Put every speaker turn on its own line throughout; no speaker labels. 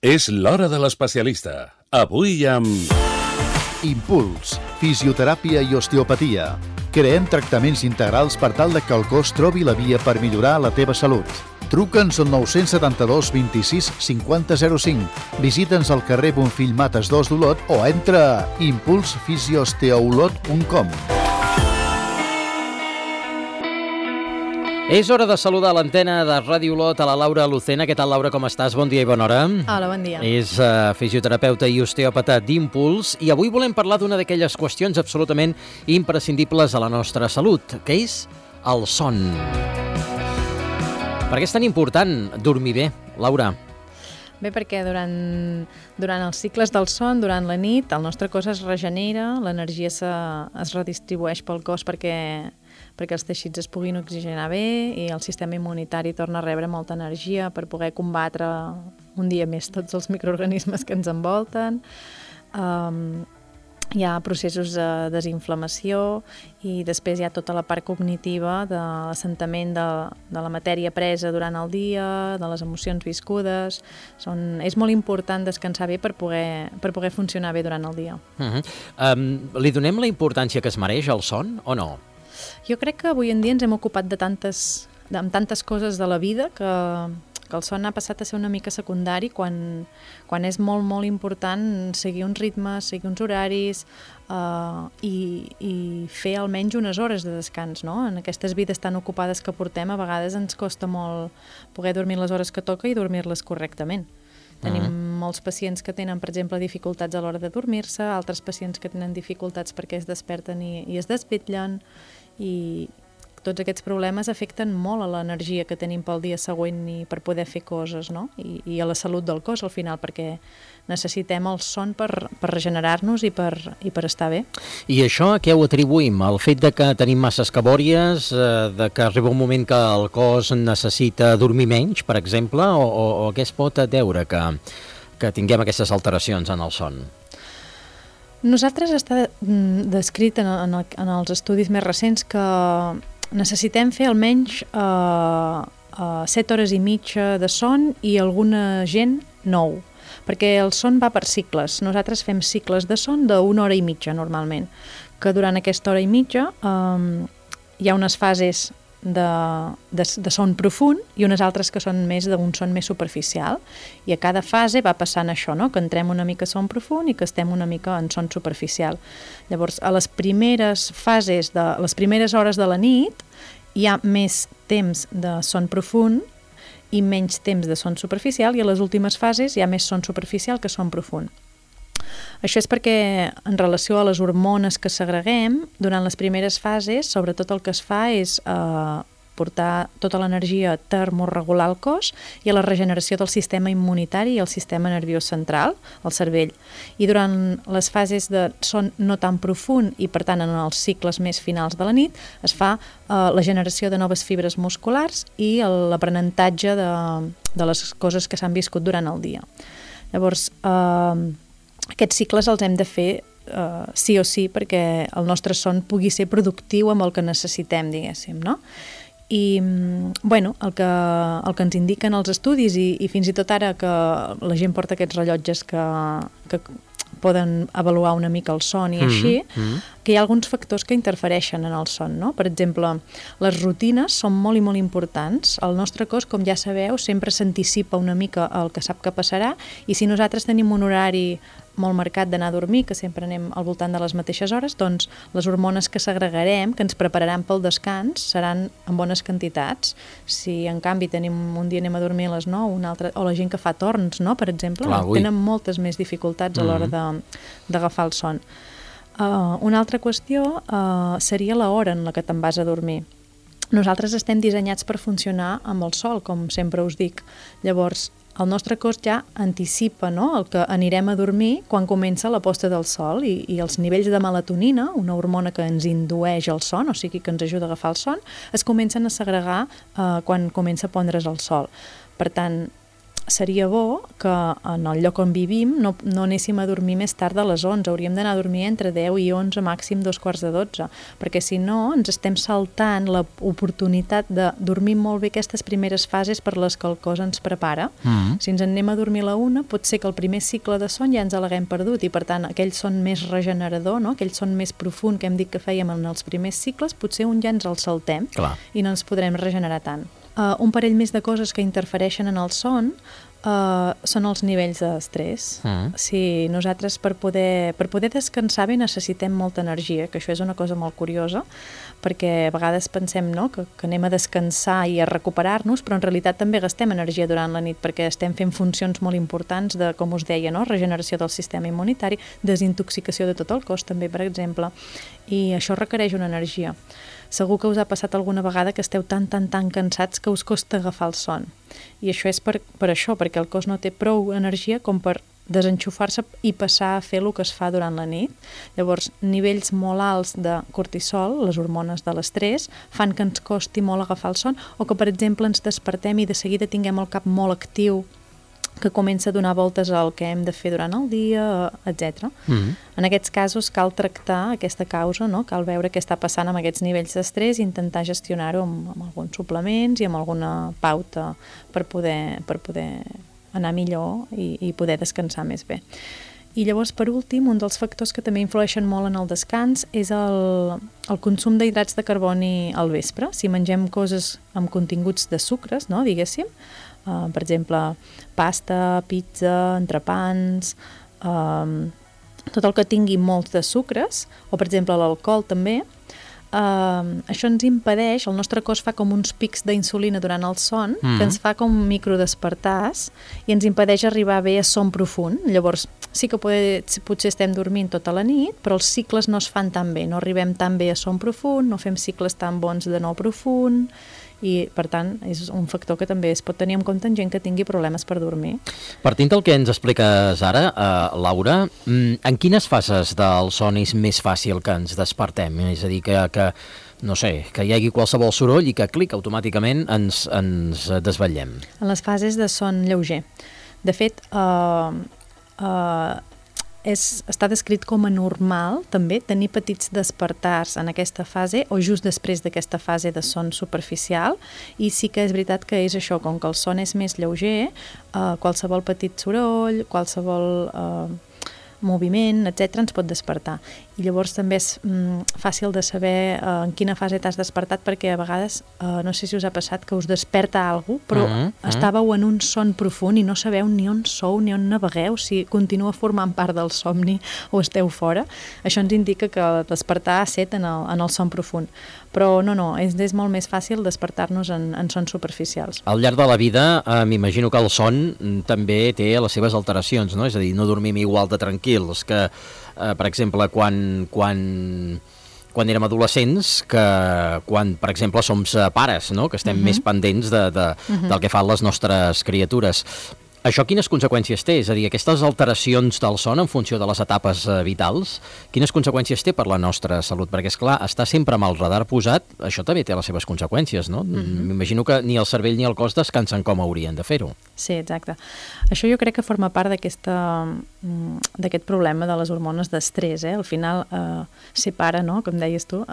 És l'hora de l'especialista. Avui amb...
Impuls, fisioteràpia i osteopatia. Creem tractaments integrals per tal que el cos trobi la via per millorar la teva salut. Truca'ns al 972 26 50 05. Visita'ns al carrer Bonfill Mates 2 d'Olot o entra a impulsfisioosteoolot.com.
És hora de saludar a l'antena de Ràdio Olot a la Laura Lucena. Què tal, Laura, com estàs? Bon dia i bona hora.
Hola, bon dia.
És fisioterapeuta i osteòpata d'Impuls i avui volem parlar d'una d'aquelles qüestions absolutament imprescindibles a la nostra salut, que és el son. Per què és tan important dormir bé, Laura?
Bé, perquè durant els cicles del son, durant la nit, el nostre cos es regenera, l'energia es redistribueix pel cos perquè els teixits es puguin oxigenar bé i el sistema immunitari torna a rebre molta energia per poder combatre un dia més tots els microorganismes que ens envolten. Hi ha processos de desinflamació i després hi ha tota la part cognitiva de l'assentament de la matèria presa durant el dia, de les emocions viscudes. És molt important descansar bé per poder funcionar bé durant el dia.
Li donem la importància que es mereix al son o no?
Jo crec que avui en dia ens hem ocupat amb tantes coses de la vida que el son ha passat a ser una mica secundari quan és molt, molt important seguir uns ritmes, seguir uns horaris i fer almenys unes hores de descans, no? En aquestes vides tan ocupades que portem, a vegades ens costa molt poder dormir les hores que toca i dormir-les correctament. Tenim molts pacients que tenen, per exemple, dificultats a l'hora de dormir-se, altres pacients que tenen dificultats perquè es desperten i es desvetllen, i tots aquests problemes afecten molt a l'energia que tenim pel dia següent i per poder fer coses, no? I a la salut del cos al final, perquè necessitem el son per regenerar-nos i per estar bé.
I això a què ho atribuïm? El fet de que tenim masses cabòries, de que arriba un moment que el cos necessita dormir menys, per exemple, o a què es pot deure que tinguem aquestes alteracions en el son?
Nosaltres està descrit en els estudis més recents que necessitem fer almenys 7 hores i mitja de son i alguna gent 9, perquè el son va per cicles. Nosaltres fem cicles de son d'1 hora i mitja normalment, que durant aquesta hora i mitja hi ha unes fases de son profund i unes altres que són més d'un son més superficial, i a cada fase va passant això, no? Que entrem una mica a son profund i que estem una mica en son superficial. Llavors, a les primeres fases, les primeres hores de la nit, hi ha més temps de son profund i menys temps de son superficial, i a les últimes fases hi ha més son superficial que son profund. Això és perquè, en relació a les hormones que segreguem, durant les primeres fases, sobretot el que es fa és portar tota l'energia a termorregular el cos i a la regeneració del sistema immunitari i el sistema nerviós central, el cervell. I durant les fases de son no tan profund i, per tant, en els cicles més finals de la nit, es fa la generació de noves fibres musculars i l'aprenentatge de les coses que s'han viscut durant el dia. Llavors, aquests cicles els hem de fer sí o sí perquè el nostre son pugui ser productiu amb el que necessitem, diguéssim, no? I, bueno, el que ens indiquen els estudis i fins i tot ara que la gent porta aquests rellotges que poden avaluar una mica el son i així, que hi ha alguns factors que interfereixen en el son, no? Per exemple, les rutines són molt i molt importants. El nostre cos, com ja sabeu, sempre s'anticipa una mica el que sap que passarà, i si nosaltres tenim un horari molt marcat d'anar a dormir, que sempre anem al voltant de les mateixes hores, doncs les hormones que segregarem, que ens prepararan pel descans, seran en bones quantitats. Si en canvi un dia anem a dormir a les 9, un altre, o la gent que fa torns, no?, per exemple, tenen moltes més dificultats a l'hora d'agafar el son. Una altra qüestió seria l'hora en la que te'n vas a dormir. Nosaltres estem dissenyats per funcionar amb el sol, com sempre us dic. Llavors, el nostre cos ja anticipa, no?, el que anirem a dormir quan comença la posta del sol, i els nivells de melatonina, una hormona que ens indueix el son, o sigui que ens ajuda a agafar el son, es comencen a segregar quan comença a pondre's el sol. Per tant, seria bo que en el lloc on vivim no anéssim a dormir més tard de les 11, hauríem d'anar a dormir entre 10 i 11, màxim 2:45, perquè si no ens estem saltant l'oportunitat de dormir molt bé aquestes primeres fases per les que el cos ens prepara. Si ens en anem a dormir a la 1, pot ser que el primer cicle de son ja ens l'haguem perdut i per tant aquell son més regenerador, no? Aquell son més profund que hem dit que fèiem en els primers cicles, potser un ja ens el saltem.
Clar.
I no ens podrem regenerar tant. Un parell més de coses que interfereixen en el son són els nivells d'estrès. Si nosaltres per poder descansar bé necessitem molta energia, que això és una cosa molt curiosa, perquè a vegades pensem, no?, que anem a descansar i a recuperar-nos, però en realitat també gastem energia durant la nit perquè estem fent funcions molt importants de, com us deia, no?, regeneració del sistema immunitari, desintoxicació de tot el cos també, per exemple, i això requereix una energia. Segur que us ha passat alguna vegada que esteu tan cansats que us costa agafar el son. I això és per això, perquè el cos no té prou energia com per desenxufar-se i passar a fer el que es fa durant la nit. Llavors, nivells molt alts de cortisol, les hormones de l'estrès, fan que ens costi molt agafar el son, o que, per exemple, ens despertem i de seguida tinguem el cap molt actiu, que comença a donar voltes al que hem de fer durant el dia, etc. En aquests casos cal tractar aquesta causa, no? Cal veure què està passant amb aquests nivells d'estrès i intentar gestionar-ho amb alguns suplements i amb alguna pauta per poder anar millor i poder descansar més bé. I llavors, per últim, un dels factors que també influeixen molt en el descans és el consum d'hidrats de carboni al vespre. Si mengem coses amb continguts de sucres, no?, diguéssim, per exemple, pasta, pizza, entrepans, tot el que tingui molts de sucres, o per exemple l'alcohol també, això ens impedeix, el nostre cos fa com uns pics d'insulina durant el son, que ens fa com microdespertars i ens impedeix arribar bé a son profund. Llavors, sí que potser estem dormint tota la nit, però els cicles no es fan tan bé, no arribem tan bé a son profund, no fem cicles tan bons de no profund, i per tant és un factor que també es pot tenir en compte en gent que tingui problemes per dormir.
Partint del que ens expliques ara, Laura, en quines fases del son és més fàcil que ens despertem? És a dir, que no sé, que hi hagi qualsevol soroll i que clic, automàticament ens desvetllem.
En les fases de son lleuger. De fet, està descrit com a normal també tenir petits despertars en aquesta fase o just després d'aquesta fase de son superficial, i sí que és veritat que és això, com que el son és més lleuger, qualsevol petit soroll, qualsevol moviment, etc., ens pot despertar. I llavors també és fàcil de saber en quina fase t'has despertat, perquè a vegades, no sé si us ha passat, que us desperta alguna cosa, però estàveu en un son profund i no sabeu ni on sou, ni on navegueu, si continua formant part del somni o esteu fora. Això ens indica que despertar ha set en el son profund. Però no, és molt més fàcil despertar-nos en sons superficials.
Al llarg de la vida, m'imagino que el son també té les seves alteracions, no? És a dir, no dormim igual de tranquils que, per exemple, quan érem adolescents, que quan, per exemple, som pares, no?, que estem més pendents del que fan les nostres criatures. Això quines conseqüències té? És a dir, aquestes alteracions del son en funció de les etapes vitals, quines conseqüències té per la nostra salut? Perquè, esclar, estar sempre amb el radar posat, això també té les seves conseqüències, no? M'imagino que ni el cervell ni el cos descansen com haurien de fer-ho.
Sí, exacte. Això jo crec que forma part d'aquest problema de les hormones d'estrès. Al final, ser pare, no?, com deies tu,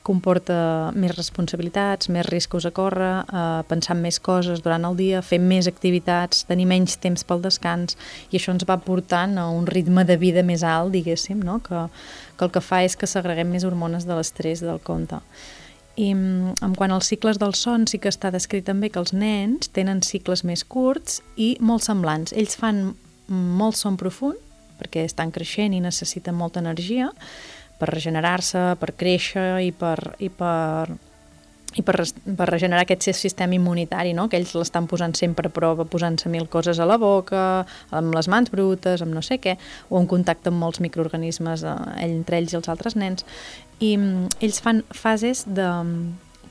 comporta més responsabilitats, més riscos a córrer, pensar en més coses durant el dia, fer més activitats, tenir menys temps pel descans, i això ens va portant a un ritme de vida més alt, diguéssim, no?, que el que fa és que segreguem més hormones de l'estrès del compte. I en quant als cicles del son, sí que està descrit també que els nens tenen cicles més curts i molt semblants. Ells fan molt son profund, perquè estan creixent i necessiten molta energia per regenerar-se, per créixer i per regenerar aquest sistema immunitari, no?, que ells l'estan posant sempre a prova, posant-se 1000 coses a la boca, amb les mans brutes, amb no sé què, o en contacte amb molts microorganismes entre ells i els altres nens. I ells fan fases de...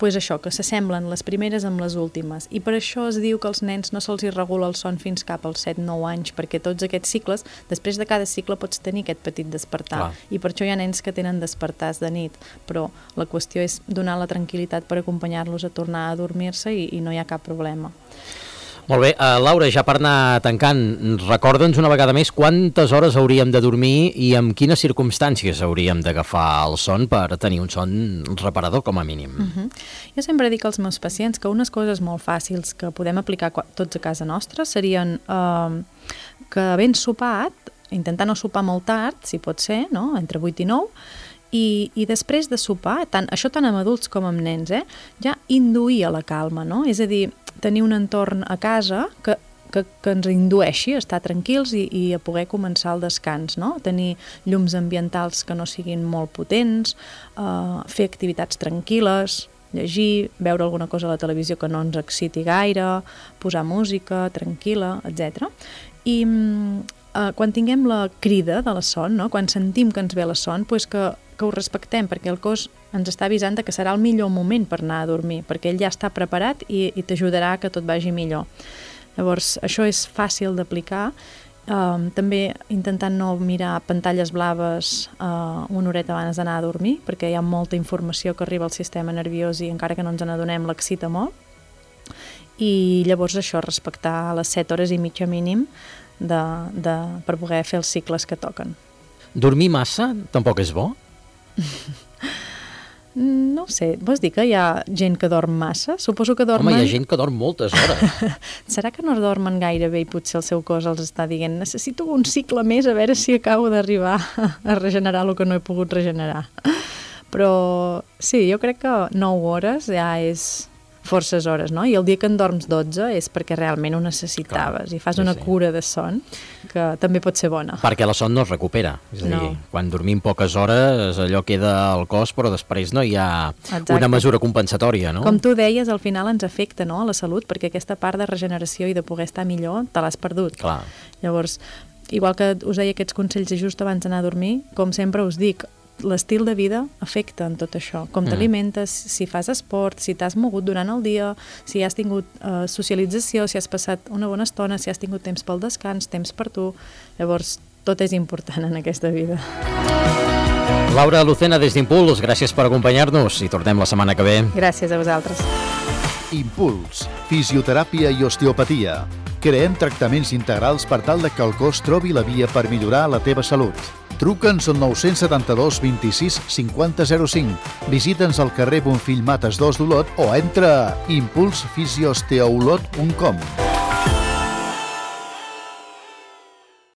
pues això, que s'assemblen les primeres amb les últimes, i per això es diu que als nens no se'ls regula el son fins cap als 7-9 anys, perquè tots aquests cicles, després de cada cicle pots tenir aquest petit despertar. Clar. I per això hi ha nens que tenen despertars de nit, però la qüestió és donar la tranquil·litat per acompanyar-los a tornar a dormir-se i no hi ha cap problema.
Molt bé, Laura, ja per anar tancant, recorda'ns una vegada més quantes hores hauríem de dormir i en quines circumstàncies hauríem d'agafar el son per tenir un son reparador com a mínim.
Jo sempre dic als meus pacients que unes coses molt fàcils que podem aplicar tots a casa nostra serien que ben sopat, intentar no sopar molt tard, si pot ser, no? Entre 8 i 9, i després de sopar, això tant amb adults com amb nens, ja induir a la calma, no? És a dir, tenir un entorn a casa que ens indueixi a estar tranquils i a poder començar el descans, no? Tenir llums ambientals que no siguin molt potents, fer activitats tranquil·les, llegir, veure alguna cosa a la televisió que no ens exciti gaire, posar música tranquil·la, etc. I quan tinguem la crida de la son, no? Quan sentim que ens ve la son, doncs que ho respectem, perquè el cos ens està avisant que serà el millor moment per anar a dormir, perquè ell ja està preparat i t'ajudarà que tot vagi millor. Llavors, això és fàcil d'aplicar. També intentant no mirar pantalles blaves una horeta abans d'anar a dormir, perquè hi ha molta informació que arriba al sistema nerviós i encara que no ens n'adonem l'excita molt. I llavors això, respectar les 7 hores i mitja mínim per poder fer els cicles que toquen.
Dormir massa tampoc és bo?
No sé, vols dir que hi ha gent que dorm massa? Suposo que dormen...
Home, hi ha gent que dorm moltes hores.
Serà que no dormen gaire bé i potser el seu cos els està dient necessito un cicle més a veure si acabo d'arribar a regenerar el que no he pogut regenerar. Però sí, jo crec que 9 hores ja és forces hores, no? I el dia que en dorms 12 és perquè realment ho necessitaves. Clar, i fas una cura de son que també pot ser bona.
Perquè la son no es recupera. És a dir, quan dormim poques hores allò queda al cos, però després no hi ha una mesura compensatòria, no?
Com tu deies, al final ens afecta, no?, a la salut, perquè aquesta part de regeneració i de poder estar millor te l'has perdut.
Clar.
Llavors, igual que us deia aquests consells just abans d'anar a dormir, com sempre us dic, l'estil de vida afecta en tot això. Com t'alimentes, si fas esport, si t'has mogut durant el dia, si has tingut socialització, si has passat una bona estona, si has tingut temps pel descans, temps per tu. Llavors, tot és important en aquesta vida.
Laura Lucena, des d'Impuls, gràcies per acompanyar-nos i tornem la setmana que ve.
Gràcies a vosaltres.
Impuls, fisioteràpia i osteopatia. Creem tractaments integrals per tal que el cos trobi la via per millorar la teva salut. Truca'ns al 972 26 50 05. Visita'ns al carrer Bonfill Mates 2 d'Olot o entra a impulsfisiosteaolot.com.